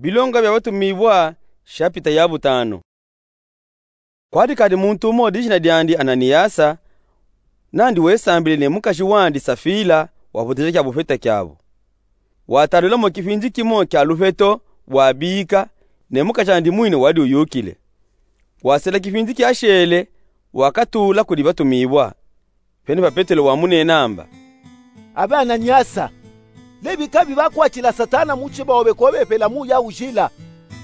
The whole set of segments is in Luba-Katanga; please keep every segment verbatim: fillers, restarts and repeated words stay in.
Bilonga bia Batumiwua, shapita ya butanu. Kwadi kadi muntu umo dijina diandi Ananiasa, nandi wesambile ne mukaji wandi Safila, wapoteja kia bufeta kiabo. Watalula mo kipindi kimo kia lupeto, wabika, ne mukajandi mwini wadi uyukile. Wasela kipindi kiashele, wakatula kudi Batumiwua. Pene pa Petelo wamunena amba: Abe Ananiasa, lebika bi bakwatila Satana mutima obe ko bepela muya ujila,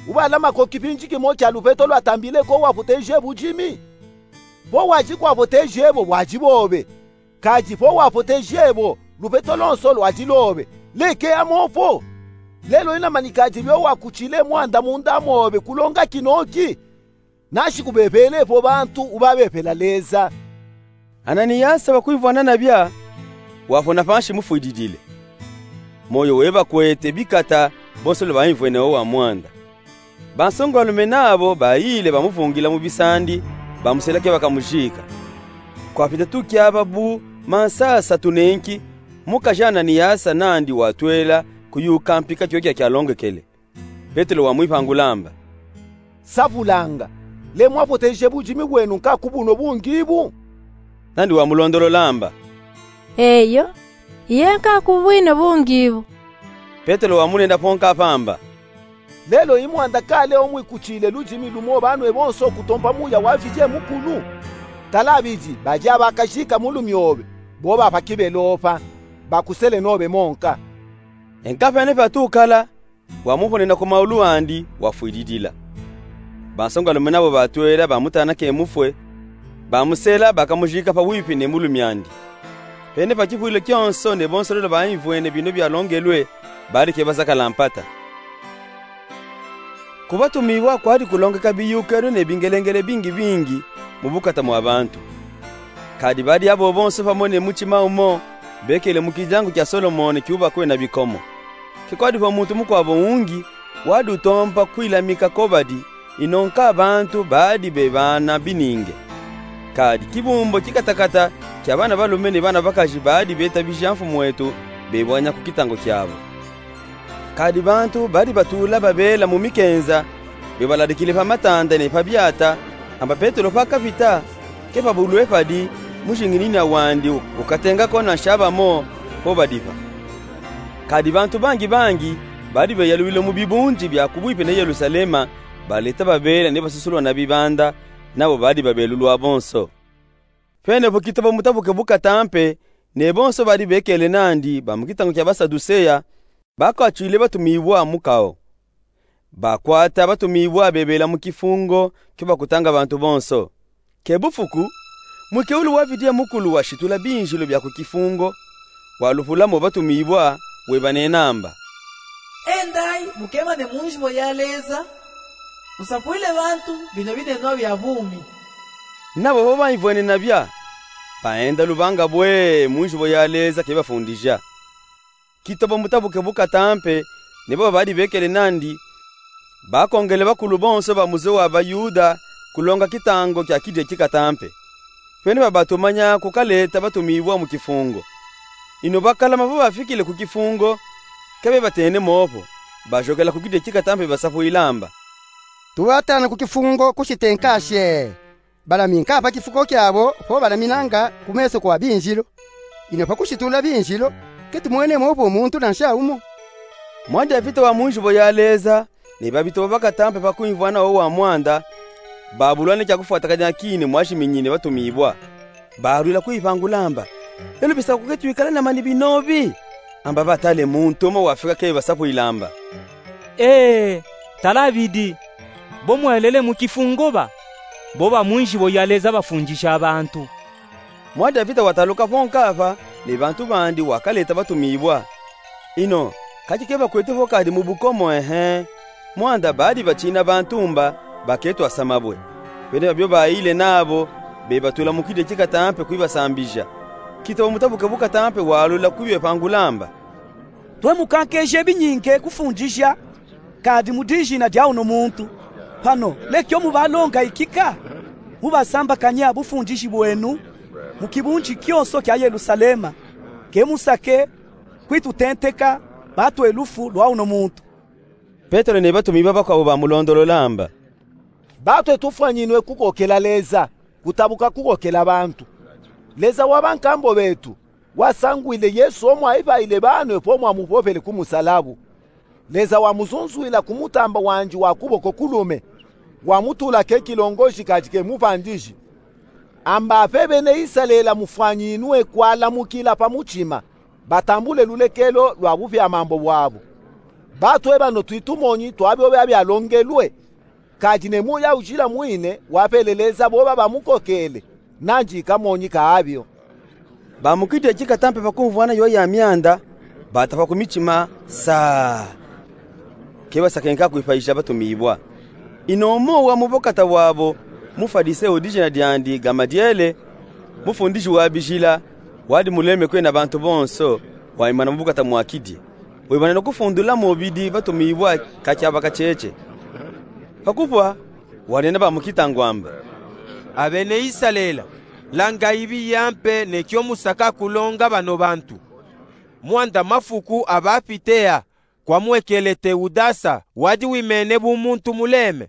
ubalama ko kipindi kimo kia lupeto lwatambile ko wapoteje budimi. Po wadi kwapoteje bo bwadi bobe, kadi po wapoteje bo, lupeto lonso lwadi lobe. Leke amo po. Lelo ina mani kadi bio wakutile mwanda munda mobe kulonga kinoki. Nanshi kubebele po bantu ubabepela Leza. Ananiasa wakwimvwana nabia, wapona panshi mufwididile. Moyo webakwete bikata bonso lwe baimvwene o wa mwanda. Bansongalume nabo bayile bamuvungila mu bisandi, bamusela ke bakamujika. Kwapita tukia babu mansasa tunenki, mukaji Ananiasa nandi watwela kuyuka mpika kiokia kialongekele. Petelo wamwipangula amba: Savulanga, le mwapoteje budimi bwenu nka ku buno bungi bu? Nandi wamulondolola amba: Eyo, ye nka ku bwino bungi bu. Petelo wamunena po nkapa amba: Lelo i mwanda kale o mwikutile ludimi lumo banwe bonso kutompa muya wa Mfidi Mukulu? Tala bidi, badi abakajika mulumi obe, bo bapa kibelo pa, bakusele nobe mo nka. Enkapa ene patukala, wamuponena ku maulu andi, wafwididila. Bansongalume nabo batwela bamutana ke mufwe, bamusela bakamujika pawipi ne mulumi andi. Pene pa kipwilo kionso ne bonso lwele baimvwene bino bialongelwe, badi ke bazakala mpata. Ku Batumiwua kwadi kulongeka biyukelo ne bingelengele bingi bingi mu bukata mwa bantu. Kadi badi abo bonso pamo ne mutima umo, bekele mu kidiangu kia Solomone kiubakwe na bikomo. Ke kwadi vo muntu mukwabo ungi wadi utompa kwilamika ko badi, ino nka bantu badi bebana bininge. Kadi kibumbo kikatakata kia bana balume ne bana bakaji badi betabija mfumu wetu, bebwanya ku kitango kiabo. Kadi bantu badi batula babela mu mikenza, bebaladikile pa matanda ne pa biata, amba Petelo pakapita, ke pabulwe padi, mujinginina wandi ukatenga ko na nshaba mo, po badipa. Kadi bantu bangi bangi badi beyalwile mu bibundi bia ku bwipi ne Yelusalema, baleta babela ne basusulwa na bibanda, nabo badi babelulwa bonso. Pene vo kitobo mutabuke bukata mpe, ne bonso badi bekele nandi ba mu kitango kia Basaduseya, bakwatwile Batumiwua mukao. Bakwata Batumiwua bebela mu kifungo kio bakutanga bantu bonso. Ke bufuku, mwikeulu wa Mfidi Mukulu washitula binzilu bia ku kifungo, walupula mo Batumiwua, webanena amba: Endayi, mukemane mu nzibo ya Leza, musapwile bantu bino binenwa bia bumi. Nabo vo baimvwene nabia, baenda lubanga bwe mu nzibo ya Leza ke bafundija. Kitobo mutabuke bukata mpe, ne babo badi bekele nandi, bakongele bakulu bonso ba muze wa Bayuda kulonga kitango kia kidi kikata mpe. Pene babatumanya kukaleta Batumiwua mu kifungo. Ino bakalama vo bafikile ku kifungo, ke bebatene mo po, bajokela ku kidi kikata mpe basapwila amba: Tubatana ku kifungo kusite nkashi. Balami nka pa kifuko kiabo, po balaminanga ku meso kwa binzilu. Ino pa kushitula binzilu, ke tumwene mo po muntu na nsha umo. Mwa Davida wa mu nzibo ya Leza, ne babito bakata mpe pa kwimvwana o wa mwanda, babulwa ne kia kufwatakanya kini mwashiminyine Batumiwua. Balwila kwipangula amba: Lelu bisaku ke twikala na mani binobi? Amba batale muntu umo wafika ke basapwila amba: Ee, tala bidi, bo mwelele mu kifungo ba, bo ba mu nzibo ya Leza bafundisha bantu. Mwa Davida wataluka po nkapa, ne bantu bandi wakaleta Batumiwua. Ino, kaki ke bakwete vo kadi mu bukomo, ehe. Mwanda badi batina bantu mba, baketwa samabwe. Pene babio bayile nabo, bebatula mu kidi kikata mpe kwibasambija. Kitobo mutabuke bukata mpe walula kwibepangula amba: Twe mukankeje binyinge kufundisha, kadi mu dijina dia uno muntu. Pano, lekio mubalonga ikika, mubasambakanya bufundishi bwenu mu kibundi kionso kia Yelusalema, ke musake kwitutenteka, batwe lufu lwa uno muntu. Petelo ne batumiwa bakwawu bamulondolola amba: Batwe tufwanyinwe kukokela Leza, kutabuka kukokela bantu. Leza wa bankambo betu wasangwile Yesu omwayipaile banwe po mwamupopele ku musalabu. Leza wamuzunzwila ku mutamba wandi wa kuboko kulume, wamutula ke kilongoshi kadi ke mupandiji. Amba ape bene Isalela mufwanyinwe kwalamukila pa mutima, batambule lulekelo lwa bupya mambo bwabo. Batwe bano twitumonyi twa byo byabyalongelwe. Kadi ne muya ujila mwine wapeleleza boba bamukokele, nandi kamonyi ka abyo. Ba mu kidi ekikata mpe pakumvwana yo ya myanda, batapa ku mitima saa. Ke basakenka kwipayisha batumiwa. Ino umo wa mu bukata bwabo, Mufalise u dijina diandi Gamadiele, mufundiji wa bijila, wadi muleme kwena bantu bonso, waimana mu bukata mwa kidi. Wimana no kufundula mubidi batumiwa kakyaba kacheche. Pakupwa, wanena ba mu kitangu amba: Abene Isalela, langayi biya mpe ne kyo musaka kulonga bano bantu. Mwanda mafuku abapite a, kwamwekele Teudasa wadi wimene bu muntu muleme.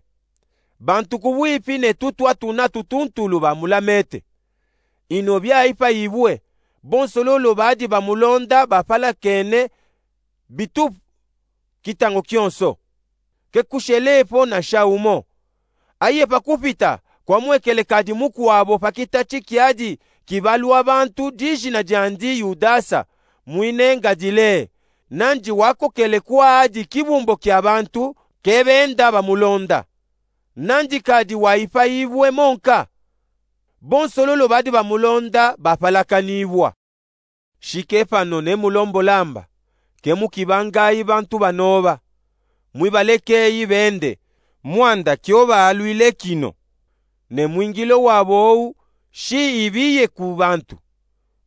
Bantu kubwipi ne tutwa tuna tutuntulu bamulamete. Ino byayipayibwe, bonso lolo badi bamulonda bapalakene bitupu kitangu kyonso. Ke kushelepo na sha umo. Aye pakupita, kwamwekele kadi mukwabo pa kitati kyadi kibalwa bantu dijina diandi Yudasa, mwine ngadile, nandi wakokele kwadi kibumbo kya bantu ke benda bamulonda. Nandi kadi wayipayibwe monka. Bonso lolo badi bamulonda bapalakanibwa. Shike pano ne mulombola amba, ke mukibangayi bantu banoba. Mwibalekeyi bende, mwanda kyo baalwile kino. Ne mwingilo wabo owu, shi ibiye ku bantu.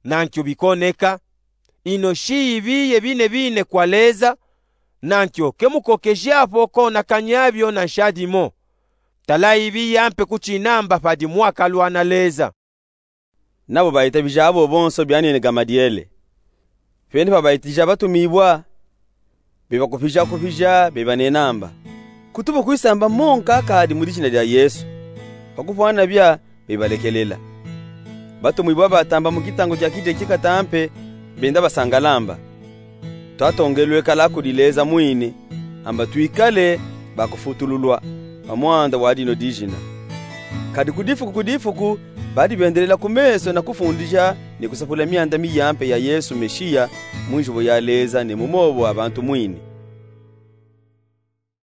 Nankyo bikoneka. Ino shi ibiye bine bine kwa Leza, nankyo ke mukokejapo konakanya byo na sha dimo. Tala ibiya mpe kuchinamba padi mwakalwana Leza. Nabo bayitabija abo bonso byanene Gamadiele. Pene pabayitija batumiwa, bebakupija kupija, bebanena amba: Kutubu kwisamba monka kadi mu dijina dya Yesu. Pakupwana bya, bebalekelela. Batumiwa batamba mu kitangu kya kidi ekikata mpe, benda basangala amba: Twatongelwe kala kudi Leza mwini, amba twikale bakufutululwa pa mwanda wa dino dijina. Kadi ku difuku ku difuku, badi bendelela ku meso na kufundija ne kusapula myanda miya mpe ya Yesu Meshiya, mu njibo ya Leza ne mu mobo a bantu mwini.